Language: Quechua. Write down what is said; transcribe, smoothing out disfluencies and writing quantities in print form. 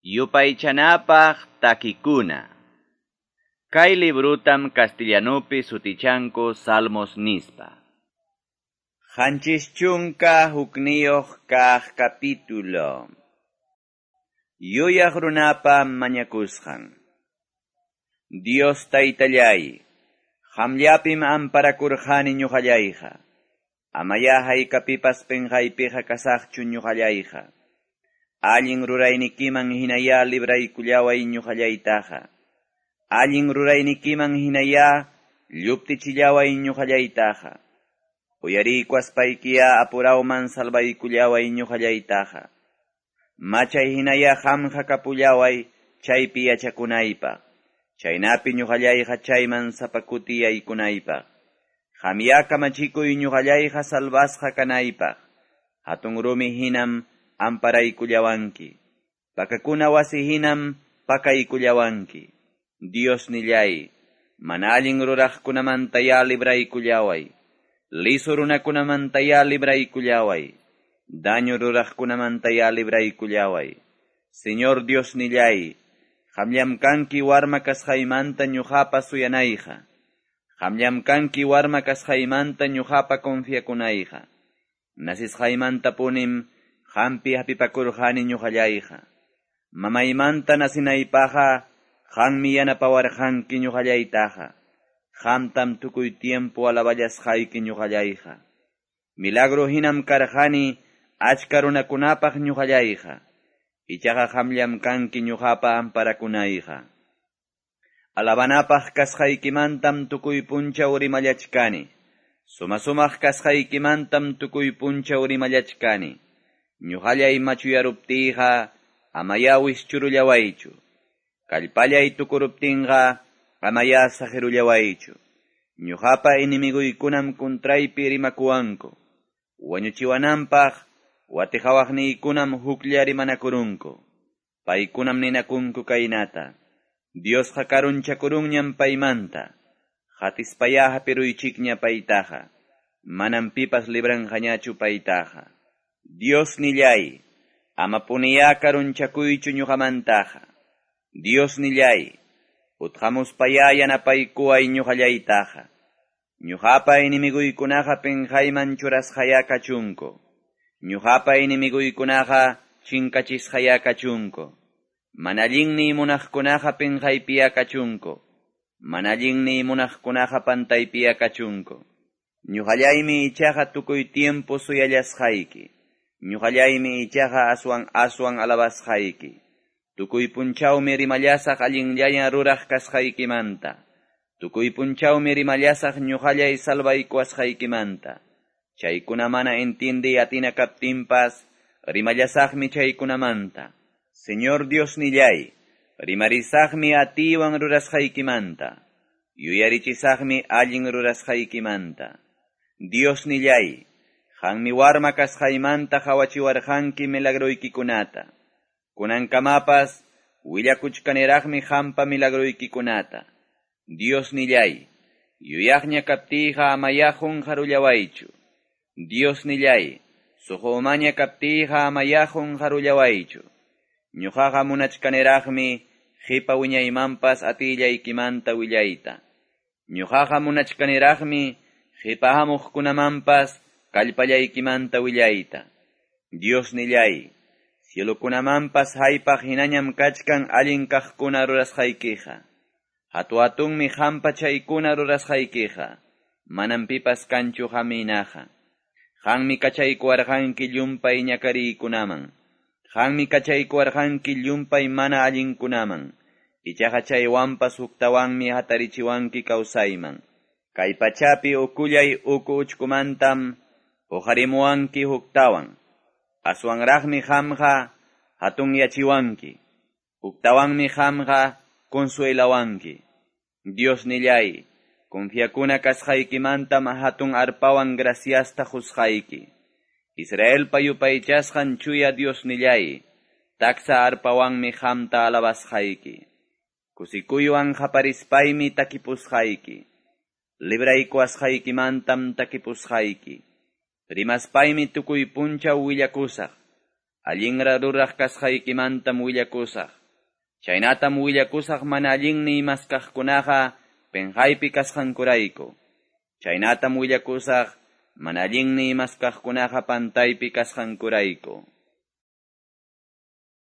Yupaychanapaq takikuna. Kay librutam castellanupi sutichanku Salmos nispa. 71 kaq capítulo. Yuyaq runapa mañakusqan. Dios taytallay, qamllapim amparakurqani ñuqallayqa. Amaya haykapipas penqaypiqa kasaqchu ñuqallayqa. Allin ruraynikiman hinaya libraykullaway ñuqallaytaqa. Allin ruraynikiman hinaya lluptichillaway ñuqallaytaqa. Uyariykuaspaykiya apurawman salvaykullaway ñuqallaytaqa. Machay hinaya qamqa kapullaway chaypi yachakunaypaq. Chaynapi ñuqallayqa chayman sapakuti yaykunaypaq. Qamya kamachikuy ñuqallayqa salvasqa kanaypaq. Hatun rumi hinam amparaykullawanki. Pakakuna wasi hinam pakaykullawanki. Dios nillay, mana allin ruraqkunamantaya libraykullaway. Liso runakunamantaya libraykullaway. Daño ruraqkunamantaya libraykullaway. Señor Dios nillay, qamllam kanki warma kasqaymanta ñuqapa suyanayqa. Qamllam kanki warma kasqaymanta ñuqapa confiakunayqa. Nasisqaymantapunim qampi hapipakurqani ñuqallayqa. Mamaymanta nasinaypaqqa qammi yanapawarqanki ñuqallaytaqa. Qamtam tukuy tiempo alaballasqayki ñuqallayqa. Milagro hinam karqani achka runakunapaq ñuqallayqa. Ichaqa qamllam kanki ñuqapa amparakunayqa. Alabanapaq kasqaykimantam tukuy punchaw rimallachkani. Suma-sumaq kasqaykimantam tukuy punchaw rimallachkani. Ñuqallay machuyaruptiyqa amaya wischurullawaychu. Kallpallay tukuruptinqa amaya saqirullawaychu. Ñuqapa enemiguykunam kuntraypi rimakuwanku. Wañuchiwananpaq watiqawaqniykunam huklla rimanakurunku. Paykunam ninakunku kaynata. Diosqa karunchakurunñam paymanta. Hatispaya hapiruychikña paytaqa. Manam pipas libranqañachu paytaqa. Dios nillay, amapuniya karunchakuychu ñuqamantaqa. Dios nillay, utqamuspaya yanapaykuway ñuqallaytaqa. Ñuqapa enemiguykunaqa penqayman churasqaya kachunku. Ñuqapa enemiguykunaqa chinkachisqaya kachunku. Mana allinniy munaqkunaqa penqaypiya kachunku. Mana allinniy munaqkunaqa pantaypiya kachunku. Ñuqallaymi ichaqa tukuy tiempo suyallasqayki. Ñuqallaymi ichaqa aswan aswan alabasqayki. Tukuy punchawmi rimallasaq allinllaña ruraq kasqaykimanta. Tukuy punchawmi rimallasaq ñuqallay salvaykuwasqaykimanta. Chaykuna mana entiende atina kaptinpas, rimallasaqmi chaykunamanta. Señor Dios nillay, rimarisaqmi atiwan rurasqaykimanta. Yuyarichisaqmi allin rurasqaykimanta. Dios nillay, qammi warma kasqaymanta qawachiwarqanki milagroykikunata. Kunankamapas willakuchkaniraqmi qampa milagroykikunata. Dios nillay, yuyaqña kaptiyqa amaya qunqarullawaychu. Dios nillay, suqumaña kaptiyqa amaya qunqarullawaychu. Ñuqaqa munachkaniraqmi qipa wiñaymanpas atillaykimanta willayta. Ñuqaqa munachkaniraqmi qipa hamuqkunamanpas kallpallaykimanta willayta. Dios nillay, cielokunamanpas haypaq hinañam kachkan allin kaqkuna rurasqaykiqa. Hatu-hatunmi qampa chaykuna rurasqaykiqa. Manam pipas kanchu qaminaqa. Qammi kachaykuwarqanki llumpay ñakariykunaman. Qammi kachaykuwarqanki llumpay mana allinkunaman. Ichaqa chaywanpas huktawanmi hatarichiwanki kawsayman. Kay pachapi ukullay uku uchkumantam huqarimuwanki huktawan. Aswanraqmi qamqa hatunyachiwanki. Huktawanmi qamqa consuelawanki. Dios nillay, confiakuna kasqaykimantam hatun arpawan graciasta qusqayki. Israelpa yupaychasqan chuya Dios nillay, taksa arpawanmi qamta alabasqayki. Kusikuywan qaparispaymi takipusqayki. Libraykuwasqaykimantam takipusqayki. Rimaspaymi tukuy punchaw willakusaq. Allinra ruraq kasqaykimantam willakusaq. Chaynatam willakusaq mana allinniy maskaqkunaqa penqaypi kasqankurayku. Chaynatam willakusaq mana allinniy maskaqkunaqa pantaypi kasqankurayku.